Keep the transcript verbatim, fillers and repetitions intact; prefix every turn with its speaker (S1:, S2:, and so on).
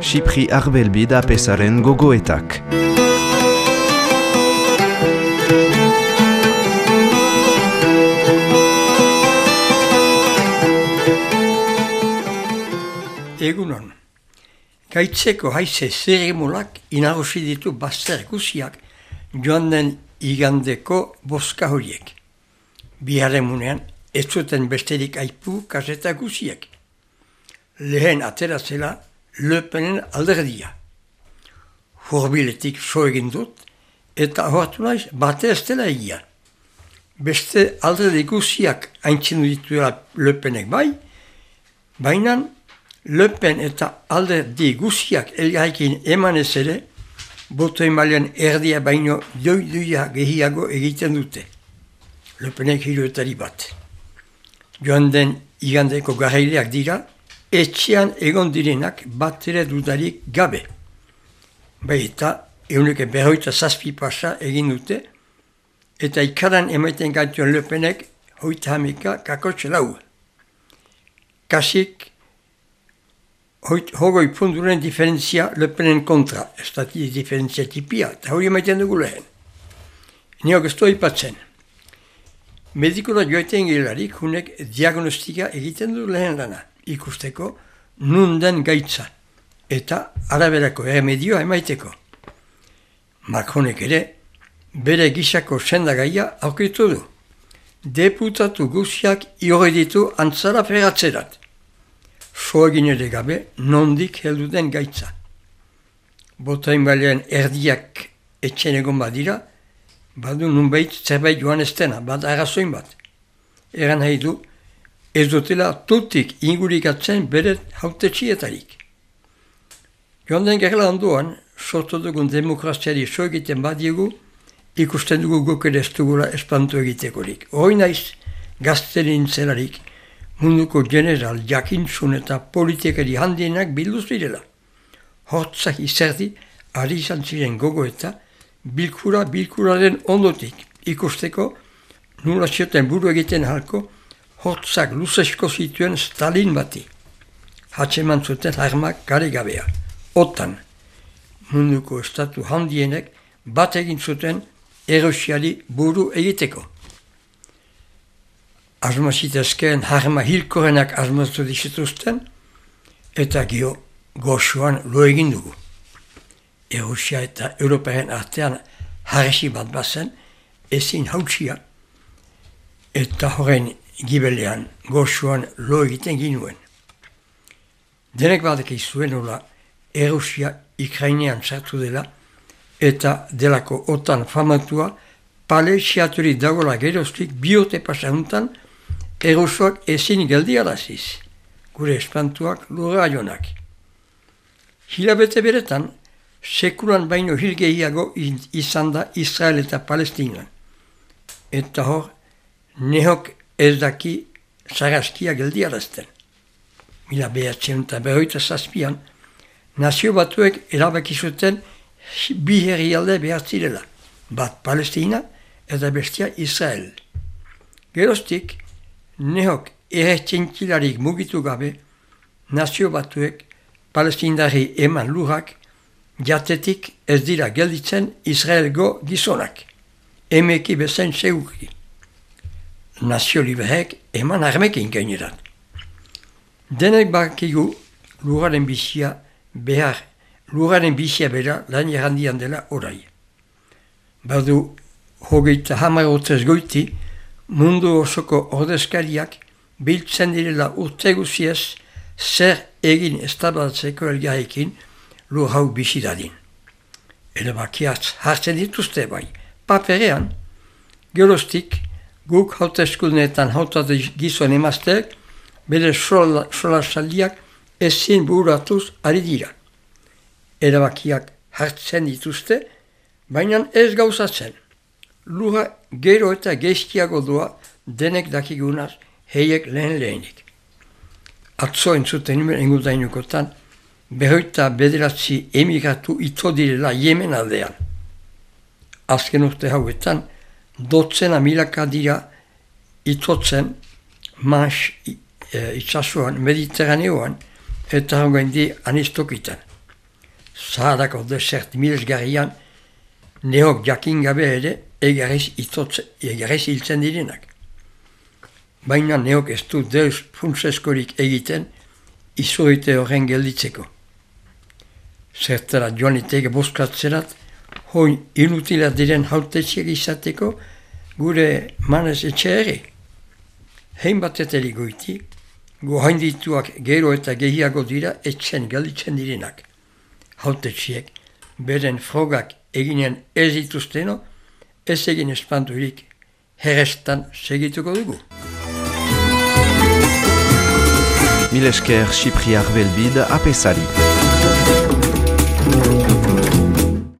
S1: Xipri Arbelbi da pesaren gogoetak.
S2: Egunon, gaitzeko haize zeremolak inagosi ditu bazter guziak joan den igandeko boska horiek. Biharemunean ez zuten besterik aipu kaseta guziek. Lehen ateratzela Le Penen alderdia. Horbiletik so egin dut eta hortu naiz bate ez dela egia. Beste alderdi guziak aintzinu dituela Le Penek bai, baina Le Pen eta alderdi guziak elgarrekin emanez ere, boto emailean erdia baino doi-doia gehiago egiten dute. Le Penek hiruetari bat. Joan den igandeko garaileak dira, etxean egon direnak bat ere dudarik gabe. Bai eta euneke berroita zazpi pasa egin dute, eta ikaran emaiten gaituen Le Penek hoita hamika kakotxe lau. Kasik hogoi punturen diferentzia Le Penen kontra, ez da diferentzia tipia, eta hori emaiten dugu lehen. Niok ez doi patzen. Medikora joaiten gelarik, hunek diagnostika egiten du lehen lana, ikusteko nun den gaitza, eta araberako erremedioa emaiteko. Macronek ere, bere gisako sendagaia aurkitu du. Deputatu guziak iore ditu antzara feratzerat. So egin ere gabe, nondik heldu den gaitza. Botain balean erdiak etxen egon badira, badu nunbait zerbait joan ez dena, bat arrazoin bat. Eran nahi du, ez dutela tutik ingurikatzen bere hautetxietarik. Joan den gerla ondoan, sortu dugun demokraziari so egiten badiegu, ikusten dugu guk ere ez dugula espantu egitekorik. Hoi naiz, gazte nintzelarik, munduko general jakintzun eta politikari handienak bilduz direla. Hortzak izerdi, ari izan ziren gogo eta bilkura bilkuraren ondotik ikusteko nula zioten buru egiten halko hortzak luzesko zituen Stalin bati. Hatzeman zuten armak gare gabea. Otan, munduko estatu handienek bat egin zuten erosiari buru egiteko. Asmazitezkeen harma hilkorenak asmaztu dizituzten, eta gio goxuan lo egin dugu. Erusia eta Europaren artean harresi bat bazen, ezin hautsia, eta horren gibelean goxuan lo egiten ginuen. Denek badek izuen hola, Erusia Ikrainean sartu dela, eta delako otan famatua, pale siaturi dagoela geroztik biote pasanuntan, Erusoak ezin geldiaraziz, gure espantuak lurra jonak. Hilabete beretan, sekulan baino hil gehiago izan da Israel eta Palestinan. Eta hor, nehok ez daki saraskia geldiarazten. Mila behatzen eta berroita zazpian, nazio batuek erabaki zuten bi herrialde behar zirela, bat Palestina eta bestia Israel. Geroztik, nehok erretxentilarik mugitu gabe, nazio batuek palestindari eman lurrak, jatetik ez dira gelditzen Israelgo gizonak, emeki bezain seguki. Nazio liberek eman armekin gainerat. Denek bakigu lurraren bizia behar, lurraren bizia bera lan errandian dela orai. Badu hogeita hamar urtez goiti, mundu osoko ordezkariak biltzen direla urte guziez zer egin estabatzeko elgarrekin lur hau bizi dadin. Erabakiak hartzen dituzte bai, paperean, geroztik guk hauteskundeetan hautatu gizon emazteek bere solasaldiak ezin bururatuz ari dira. Erabakiak hartzen dituzte, baina ez gauzatzen. Lura gero eta geizkiago doa denek dakigunaz heiek lehen lehenik. Atzo entzuten nimen engutainukotan, berroita bederatzi emigratu ito direla Yemen aldean. Azken urte hauetan, dotzena milaka dira itotzen mas e, itsasoan, Mediterraneoan, eta hongoen di anistokitan. Zaharako desert milesgarrian, neok jakin gabe ere, egarriz hiltzen direnak. Baina neok ez du deus funtseskorik egiten, izoite horren gelditzeko. Zertara joan iteke boskatzerat, hoi inutila diren hautetxiek izateko, gure manez etxe ere. Hein bateteri goiti, gohaindituak gero eta gehiago dira etxen gelditzen direnak. Hautetxiek, beren frogak eginen ez dituzteno, ez egin espanturik herrestan segituko dugu.
S1: Mil esker Xipriar Belbid apesari.